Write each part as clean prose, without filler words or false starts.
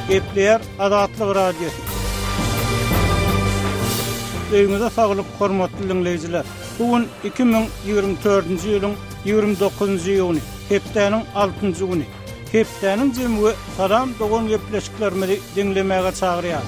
Gepleýär Azatlyk Radiosy. Öýüňize saglyk, hormatly diňleýjiler! Bu gün 2024-nji ýylyň 29-njy iýuny, hepdäniň altynjy güni. Hepdäniň jemi we Salam dogan gepleşiklerimizi diňlemäge çagyrýar.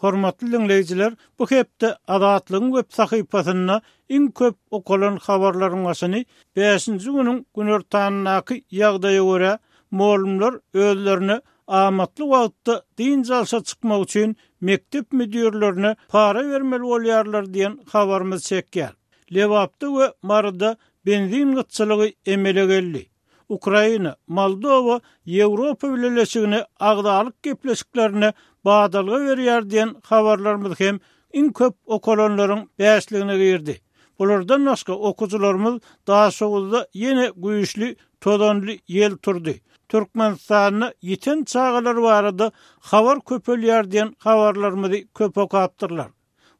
Hormatly diňleýjiler, bu hepde Azatlygyň web sahypasynda iň köp okalan habarlaryň başyny bäşinji günüň günortanyndaky ýagdaýa görä, mugallymlar özlerine amatly wagtda dynç alşa çykmak üçin mekdep müdirlerine para bermeli bolýarlar diýen habarymyz çekýär. Lebapda we Maryda benzin gytçylygy emele geldi. Ukraina, Moldowa Ýewropa Bileleşigine agzalyk gepleşiklerine badalga berýär diýen habarlarymyz hem iň köp okalanlaryň bäşligine girdi. Bulardan başga okyjylarymyz Daşoguzda ýene güýçli tozanly ýel turdy, Türkmenistanda ýiten çagalar barada habar köpelýär diýen habarlarymyzy köp okapdyrlar.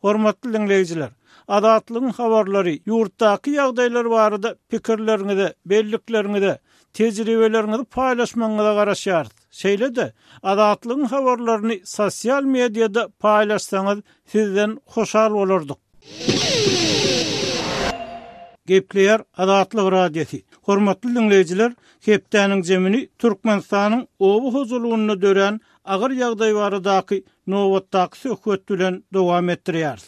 Hormatly diňleýjiler, Azatlygyň habarlary, ýurtdaky ýagdaýlar barada pikirleriňize, bellikleriňize, tejribeleriňizi paýlaşmagyňyza garaşýarys. Şeýle-de, Azatlygyň habarlaryny sosial mediada paýlaşsaňyz sizden hoşal bolardyk. Gepleýär Azatlyk Radiosy. Hormatly diňleýjiler, hepdäniň jemini Türkmenistanyň oba hojalygynda dörän agyr ýagdaý baradaky nobatdaky söhbet bilen dowam etdirýäris.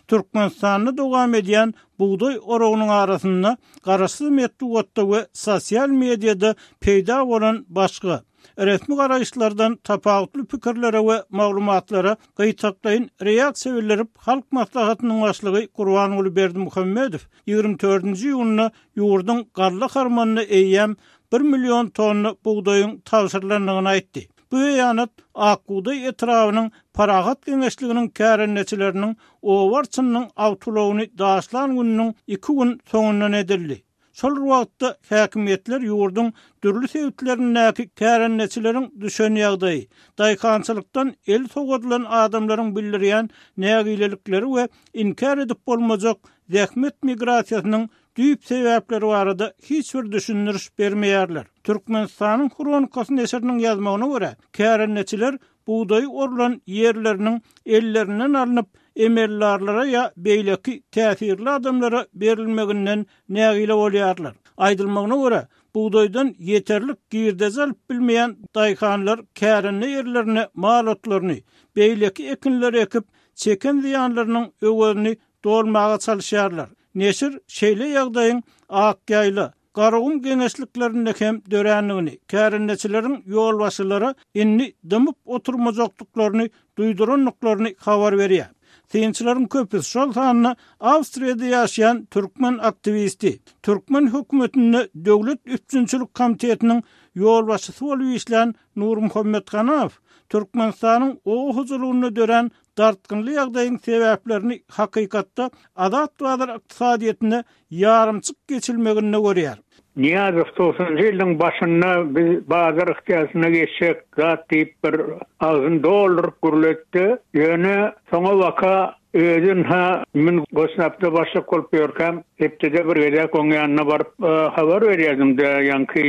Türkmenistanda dowam edýän bugdaý oragynyň arasynda garaşsyz metbugatda we sosial mediada peýda bolan başga, resmi garaýyşlardan tapawutly pikirlere we maglumatlara gytaklaýyn reaksiýa bildirip, Halk Maslahatynyň Başlygy Gurbanguly Berdimuhamedow 24-nji iýunda ýurduň galla harmanyna eýýäm bir million tonna bugdaýyň tabşyrylandygyny aýtdy. Bu beýanat Ak bugdaý etrabynyň Parahat geňeşliginiň kärendeçileriniň oba arçynynyň awtoulagyny daşlan gününiň iki gün soňundan edildi. Şol bir wagtda, häkimiýetler ýurduň dürli sebitlerindäki kärendeçileriň düşen ýagdaýy, daýhançylykdan el sowadylan adamlaryň bildirýän nägilelikleri we inkär edip bolmajak zähmet migrasiýasynyň düýp sebäpleri barada hiç bir düşündiriş bermeýärler. Türkmenistanyň Hronikasy neşiriniň ýazmagyna görä, kärendeçiler bugdaýy orlan ýerleriniň ellerinden alnyp, emeldarlara ýa beýleki täsirli adamlara berilmeginden nägile bolýarlar. Aýdylmagyna görä, bugdaýdan ýeterlik girdeji alyp bilmeýän daýhanlar kärende ýerlerine mal otlaryny, beýleki ekinleri ekip, çeken zyýanlarynyň öwezini dolmaga çalyşýarlar. Neşir şeýle ýagdaýyň Akýaýla, Garagum geňeşliklerinde hem dörändigini, kärendeçileriň ýolbaşçylara indi dymyp oturmajakdyklaryny duýdurandyklaryny habar berýär. Synçylaryň köpüsi, şol sanda Awstriýada ýaşaýan türkmen aktiwisti, türkmen hökümetinde Döwlet üpjünçilik komitetiniň ýolbaşçysy bolup işlän Nurmuhammet Hanaw Türkmenistanyň oba hojalygynda dörän dartgynly ýagdaýyň sebäplerini hakykatda azat bazar ykdysadyýetine ýarymçyk geçilmeginde görýär. Nyýazow togsanjy ýylyň başynda biz bazar ykdysadyýetine geçjek zat diýip bir agzyny dolduryp gürletdi. Ýöne soňabaka özi ynha men Gossnabda başlyk bolup ýörkäm hepdede bir gezek oň ýanyna baryp habar berýärdim-de ýaňky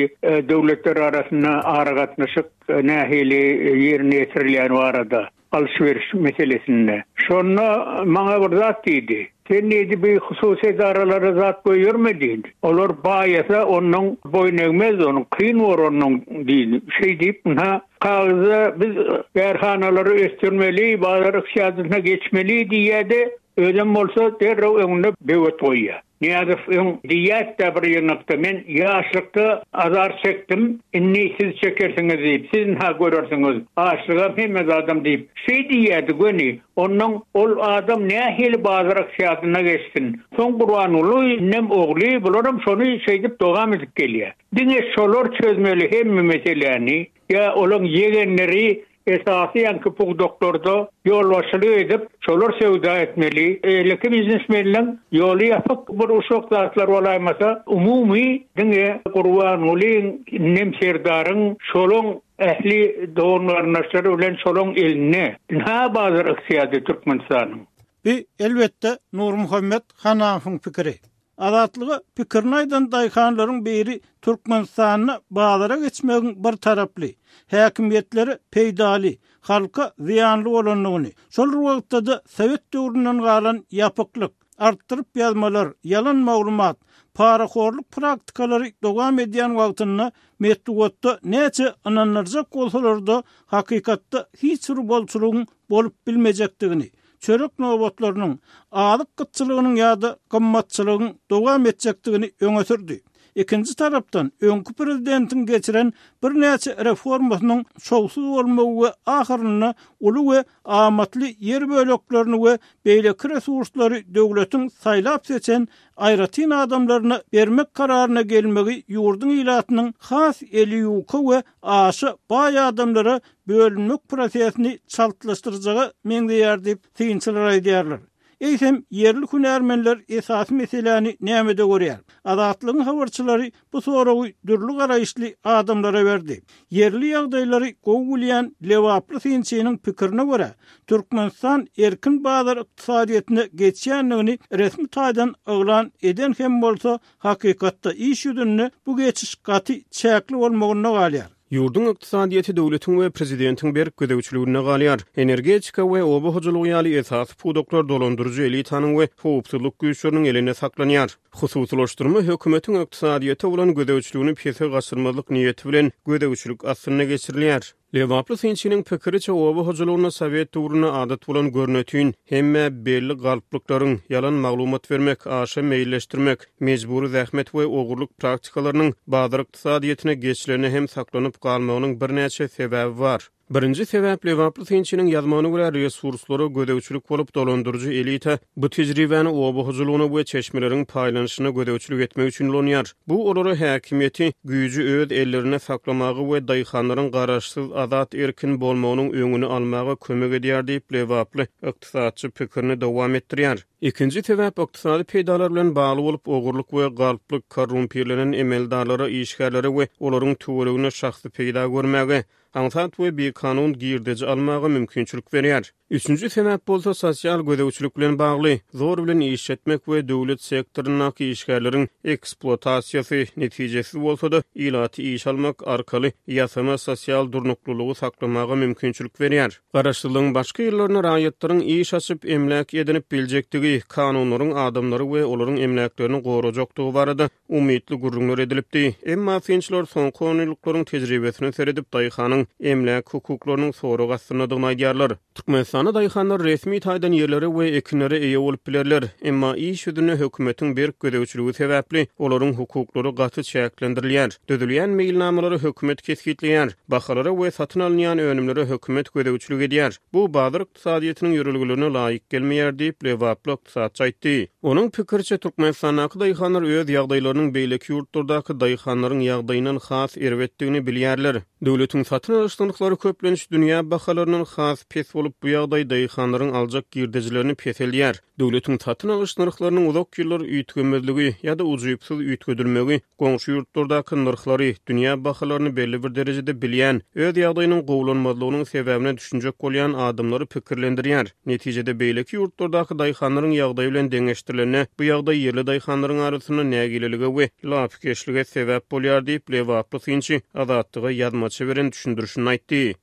döwletler arasynda aragatnaşyk nähili ýerine ýetirilýäni barada. alyş-beriş meselesinde. Şonda maňa bir zat diýdi. Sen diýdi, bi hususy edaralara zat goýberme diýdi. Olar baýasa onnoň boýun egmez, onuň kyn bor onnoň diýdi. Şeý diýip, ynha, kagyzda biz kärhanalary ösdürmeli, bazar ykdysadyýetine geçmeli diýýärdi, özem bolsa derrew öňünde böwet goýýar. Nyýazow öň diýýärdi-dä bir ýygnakda, men ýaşlykda azar çekdim, indi siz çekersiňiz diýip, siz ynha görersiňiz, açlygam hemme zadam diýip, şeý diýýärdi göni. Onnoň ol adam nähili bazar ykdysadyna geçsin? Soň Gurbanguly indem ogly bularam şony şeýdip dowam edip gelýär. Diňe şolar çözmeli hemme meseläni, ýa olaň ýegenleri Esasy ýaňky pudaklarda ýolbaşçylyk edip, şolar söwda etmeli. Beýleki biznesmenleň ýoly ýapyk bir uşak zatlar bolaýmasa, umumy diňe Gurbangulyň, indem Serdaryň, şolaň ähli dogan-garyndaşlary bilen şolaň elinde. Ynha bazar ykdyady Türkmenistanyň. Bu, elbetde, Nurmuhammet Hanamowyň pikiri. Azatlyga pikirini aýdan daýhanlaryň biri Türkmenistanda bazara geçmegiň bir taraply, häkimiýetlere peýdaly, halka zyýanly bolandygyny, şol bir wagtda-da sowet döwründen galan ýapyklyk, artdyryp ýazmalar, ýalan maglumat, parahorluk praktikalary dowam edýän wagtynda metbugatda näçe ynandyrjak bolsalar-da, hakykatda hiç bir bolçulygyň bolup bilmejekdigini, çörek nobatlarynyň, azyk gytçylygynyň ýa-da gymmatçylygyň dowam etjekdigini öňe sürdi. Ikinji tarapdan, öňki prezidentiň geçiren birnäçe reformasynyň şowsuz bolmagy we ahyrynda uly we amatly ýer böleklerini we beýleki resurslary döwletiň saýlap-seçen aýratyn adamlaryna bermek kararyna gelmegi ýurduň ilatynyň has eli ýuka we aşa baý adamlara bölünmek prosesini çaltlaşdyrjaga meňzeýär diýip, synçylar aýdýarlar. Eýsem, ýerli hünärmenler esasy meseläni nämede görýär? Azatlygyň habarçylary bu soragy dürli garaýyşly adamlara berdi. Ýerli ýagdaýlary gowy bilýän lebaply synçynyň pikirine görä, Türkmenistan erkin bazar ykdysadyýetine geçýändigini resmi taýdan yglan eden hem bolsa, hakykatda iş ýüzünde bu geçiş gaty çäkli bolmagynda galýar. Ýurduň ykdysadyýeti döwletiň we prezidentiň berk gözegçiliginde galýar. Energetika we oba hojalygy ýaly esasy pudaklar dolandyryjy elitanyň we howpsuzlyk güýçleriniň elinde saklanýar. Hususylaşdyrma hökümetiň ykdysadyýete bolan gözegçiligini pese gaçyrmazlyk niýeti bilen gözegçilik astynda geçirilýär. Lebaply synçynyň pikiriçe, oba hojalygynda sowet döwründe adat bolan görnetin, hemmä belli galplyklaryň, ýalan maglumat bermek, aşa meýilleşdirmek, mejbury zähmet we ogurlyk praktikalarynyň bazar ykdysadyýetine geçilende hem saklanyp galmagynyň birnäçe sebäbi bar. Birinji sebäp, lebaply synçynyň ýazmagyna görä, resurslara gözegçilik bolup, dolandyryjy elita bu tejribäni oba hojalygyna we çeşmeleriň paýlanyşyna gözegçilik etmek üçin ulanýar. Bu olara häkimiýeti, güýji öz ellerinde saklamaga we daýhanlaryň garaşsyz, azat, erkin bolmagynyň öňüni almaga kömek edýär diýip, lebaply ykdysatçy pikirini dowam etdirýär. Ikinji sebäp ykdysady peýdalar bilen bagly bolup, ogurlyk we galplyk korrumpirlenen emeldarlara, işgärlere we olaryň töweregine şahsy peýda görmäge, aňsat we bikanun girdeji almaga mümkinçilik berýär. Üçünji sebäp bolsa sosial gözegçilik bilen bagly, zor bilen işletmek we döwlet sektoryndaky işgärleriň ekspluatasiýasy, netijesiz bolsa-da, ilaty işe almak arkaly ýasama sosial durnuklylygy saklamaga mümkinçilik berýär. Garaşsyzlygyň başky ýyllarynda raýatlaryň iş açyp, emläk edinip biljekdigi, kanunlaryň adamlary we olaryň emläklerini gorajakdygy barada umytly gürrüňler edilipdi. Emma synçylar soňky onýyllyklaryň tejribesine seredip, daýhanyň emläk hukuklarynyň sorag astyndadygyny aýdýarlar. Türkmenistanda daýhanlar resmi taýdan ýerlere we ekinlere eýe bolup bilerler. Emma iş ýüzünde hökümetiň berk gözegçiligi sebäpli, olaryň hukuklary gaty çäklendirilýär. Düzülýän meýilnamalary hökümet kesgitleýär. Bahalara we satyn alynýan önümlere hökümet gözegçilik edýär. Bu bazar ykdysadyýetiniň ýörelgelerine laýyk gelmeýär diýip, lebaply ykdysatçy aýtdy. Onuň pikiriçe, Türkmenistandaky daýhanlar öz ýagdaýlarynyň beýleki ýurtlardaky daýhanlaryň ýagdaýyndan has erbetdigini bilýärler. Döwletiň satyn alyş nyrhlary köplenç dünýä bahalaryndan has pes bolup, bu ýagdaý daýhanlaryň aljak girdejilerini peseldýär. Döwletiň satyn alyş nyrhlarynyň uzak ýyllar üýtgemezligi ýa-da ujypsyz üýtgedilmegi goňşy ýurtlardaky nyrhlary, dünýä bahalaryny belli bir derejede bilýän, öz ýagdaýynyň gowulanmazlygynyň sebäbine düşünjek bolýan adamlary pikirlendirýär. Netijede, beýleki ýurtlardaky daýhanlaryň ýagdaýy bilen deňeşdirilende, bu ýagdaý ýerli daýhanlaryň arasynda nägilelige we lapykeçlige sebäp bolýar diýip, lebaply synçy Azatlyga ýazmaça beren düşündirişinde aýtdy.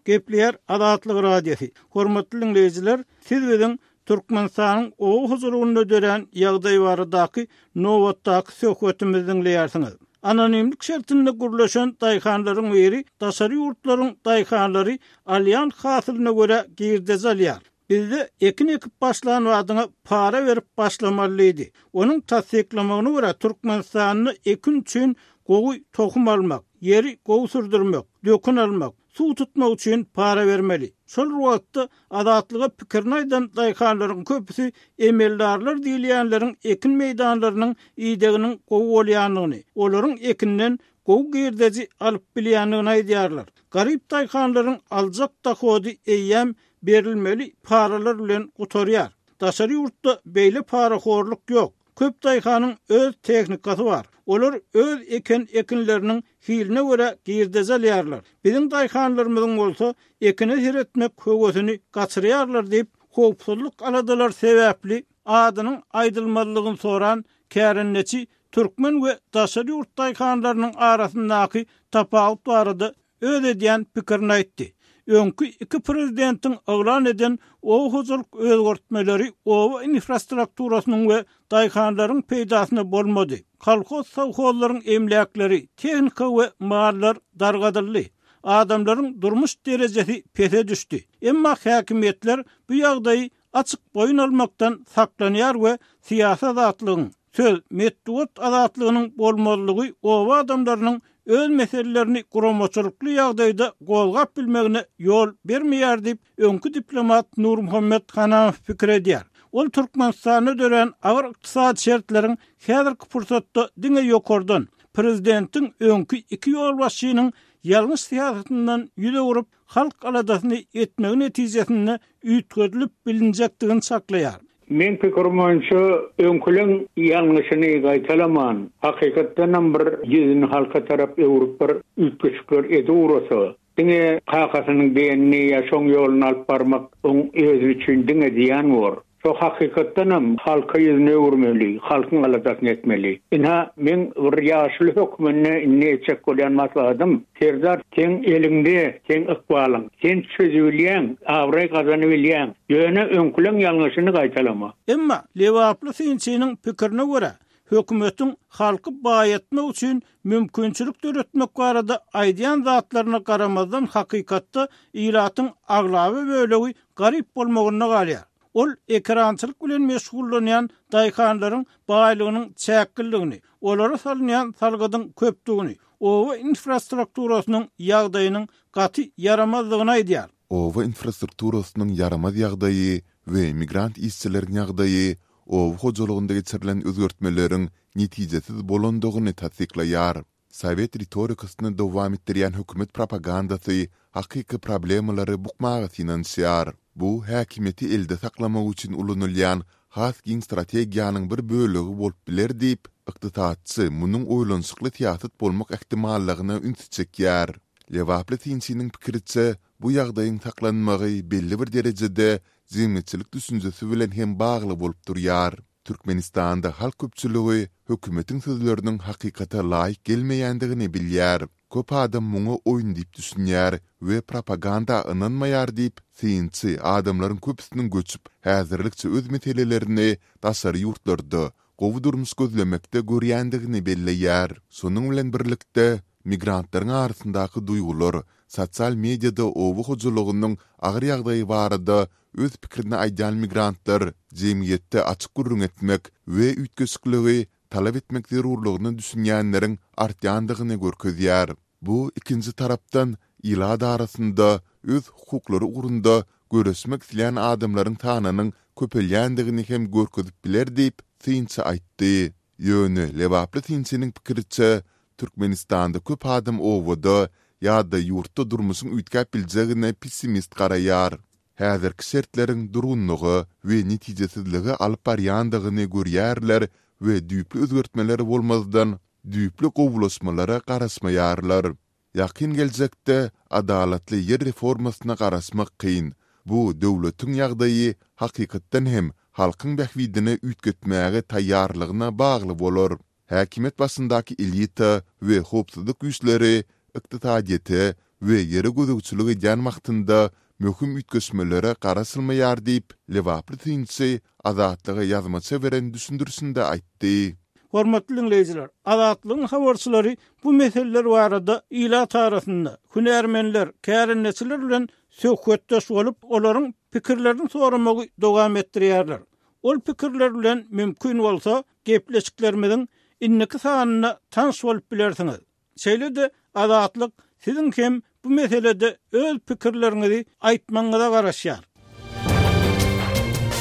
Gepleýär Azatlyk Radiosy. Hormatly diňleýjiler, siz biziň Türkmenistanyň oba hojalygynda dörän ýagdaý baradaky nobatdaky söhbetimizi diňleýärsiňiz. Anonimlik şertinde gürleşen daýhanlaryň biri daşary ýurtlaryň daýhanlary alýan hasylyna görä girdeji alýar. Bizde ekin ekip başlan badyňa para berip başlamaly diýdi. Onuň tassyklamagyna görä, Türkmenistanda ekin üçin gowy tohum almak, ýeri gowy sürdürmek, dökün almak, suw tutmak üçin para bermeli. Şol bir wagtda, Azatlyga pikirini aýdan daýhanlaryň köpüsi emeldarlar diýilýänleriň ekin meýdanlarynyň ideginiň gowy bolýandygyny, olaryň ekinden gowy girdeji alyp bilýändigini aýdýarlar. Garyp daýhanlaryň aljak dohody eýýäm berilmeli paralar bilen gutarýar. Daşary ýurtda beýle parahorluk ýok. Köp daýhanyň öz tehnikasy bar. Olar öz eken ekinleriniň hiline görä girdeji alýarlar. Biziň daýhanlarymyzyň bolsa ekine seretmek höwesini gaçyrýarlar diýip, howpsuzlyk aladalary sebäpli. Adynyň aýdylmazlygyny soran kärendeçi türkmen we daşary ýurt daýhanlarynyň arasyndaky tapawut barada öz edýän pikirini aýtdy. Öňki iki prezidentiň yglan eden oba hojalyk özgertmeleri oba infrastrukturasynyň we daýhanlaryň peýdasyna bolmady. Kolhoz-sowhozlaryň emläkleri, tehnika we mallar dargadyldy. Adamlaryň durmuş derejesi pese düşdi. Emma häkimiýetler bu ýagdaýy açyk boýun almakdan saklanýar we syýasy azatlygyň, söz, metbugat azatlygynyň bolmazlygy oba adamlarynyň öz meselelerini guramaçylykly ýagdaýda gozgap bilmegine ýol bermeýär diýip, öňki diplomat Nurmuhammet Hanamow pikir edýär. Ol Türkmenistanda dörän agyr ykdysady şertleriň häzirki pursatda diňe ýokardan, prezidentiň öňki iki ýolbaşçynyň ýalňyş syýasatyndan ýüz öwrüp, halk aladasyny etmegi netijesinde üýtgedilip bilinjekdigini çaklaýar. Meň pikirim boýunça öňküleň ýalňyşyny gaýtalaman, hakykatdanam bir ýüzüni halka tarap öwrüp bir üýtgeşikler edip ugrasa, diňe kakasynyň diýenini ýa şoň ýoluny alyp barmak oň özi üçin diňe zyýan bor. Şo hakykatdanam halka ýüzüni öwürmeli, halkyň aladasyny etmeli. Ynha, meň bir ýaşuly hökmünde indi etjek bolýan maslahatym, Serdar, seň eliňde, seň ykbalyň. Sen çözübilýäň, abraý gazanybilýäň. Ýöne öňküleň ýalňyşyny gaýtalama. Emma lebaply synçynyň pikirine görä, hökümetiň halky baýatmak üçin mümkinçilik döretmek barada aýdýan zatlaryna garamazdan hakykatda ilatyň aglaba bölegi garyp bolmagynda galýar. Ol ekerançylyk bilen meşgullanýan daýhanlaryň baýlygynyň çäkliligini, olara salynýan salgydyň köpdügini, oba infrastrukturasynyň ýagdaýynyň gaty ýaramazdygyny aýdýar. Oba infrastrukturasynyň ýaramaz ýagdaýy we migrant işçileriň ýagdaýy oba hojalygynda geçirilen özgertmeleriň netijesiz bolandygyny tassyklaýar. Sowet ritorikasyny dowam etdirýän hökümet propagandasy hakyky problemalary bukmaga synanyşýar. Bu häkimiýeti elde saklamak üçin ulanylýan has giň strategiýanyň bir bölegi bolup biler diýip, ykdysatçy munuň oýlanyşykly syýasat bolmak ähtimallygyna ünsi çekýär. Lebaply synçynyň pikiriçe, bu ýagdaýyň saklanmagy belli bir derejede jemgyýetçilik düşünjesi bilen hem bagly bolup durýar. Türkmenistanda halk köpçüligi hökümetiň sözleriniň hakykata laýyk gelmeýändigini bilýär. Köp adam muňa oýun diýip düşünýär we propaganda ynanmaýar diýip, synçy adamlaryň köpüsiniň göçüp, häzirlikçe öz meselelerini daşary ýurtlarda, gowy durmuş gözlemekde görýändigini belleýär. Şonuň bilen birlikde, migrantlaryň arasyndaky duýgular, sosial mediada oba hojalygynyň agyr ýagdaýy barada öz pikirini aýdýan migrantlar jemgyýetde açyk gürrüň etmek we üýtgeşikligi talap etmek zerurlygyna düşünýänleriň artýandygyny görkezýär. Bu, ikinji tarapdan, ilat arasynda öz hukuklary ugrunda göreşmek isleýän adamlaryň sanynyň köpelýändigini hem görkezip biler diýip, synçy aýtdy. Ýöne, lebaply synçynyň pikiriçe, Türkmenistanda köp adam obada ýa-da ýurtda durmuşyň üýtgäp biljegine pessimist garaýar. Häzirki şertleriň durgunlyga we netijesizlige alyp barýandygyny görýärler we düýpli özgertmeler bolmazdan, düýpli gowulaşmalara garaşmaýarlar. Ýakyn geljekde adalatly ýer reformasyna garaşmak kyn. Bu döwletiň ýagdaýy hakykatdan hem halkyň bähbidine üýtgetmäge taýýarlygyna bagly bolar. Häkimiýet başyndaky elita we howpsuzlyk güýçleri ykdysadyýete we ýere gözegçilik edýän wagtynda möhüm üýtgeşmelere garaşylmaýar diýip, lebaply synçy Azatlyga ýazmaça beren düşündirişinde aýtdy. Hormatly diňleýjiler, Azatlygyň habarçylary bu meseleler barada ilat arasynda, hünärmenler, kärendeçiler bilen söhbetdeş bolup, olaryň pikirlerini soramagy dowam etdirýärler. Ol pikirler bilen mümkin bolsa, gepleşiklerimiziň indiki sanynda tanyş bolup bilersiňiz. Şeýle-de Azatlyk siziň hem bu meselede öz pikirleriňizi aýtmagyňyza garaşýar.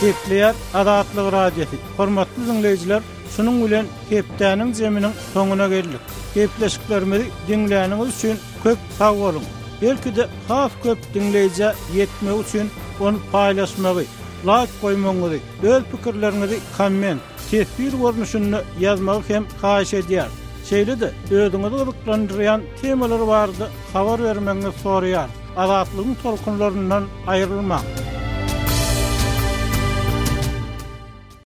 Gepleýär Azatlyk Radiosy. Hormatly diňleýjiler, şunuň bilen hepdäniň jeminiň soňuna geldik. Gepleşiklerimizi diňläniňiz üçin köp sag boluň! Belki-de has köp diňleýjä ýetmegi üçin ony paýlaşmagy, laýk goýmagyňyzy, öz pikirleriňizi komment, teswir görnüşinde ýazmagy hem haýyş edýäris. Şeýle-de özüňizi gyzyklandyrýan temalar barada habar bermegiňizi soraýarys. Azatlygyň tolkunlaryndan aýrylmaň!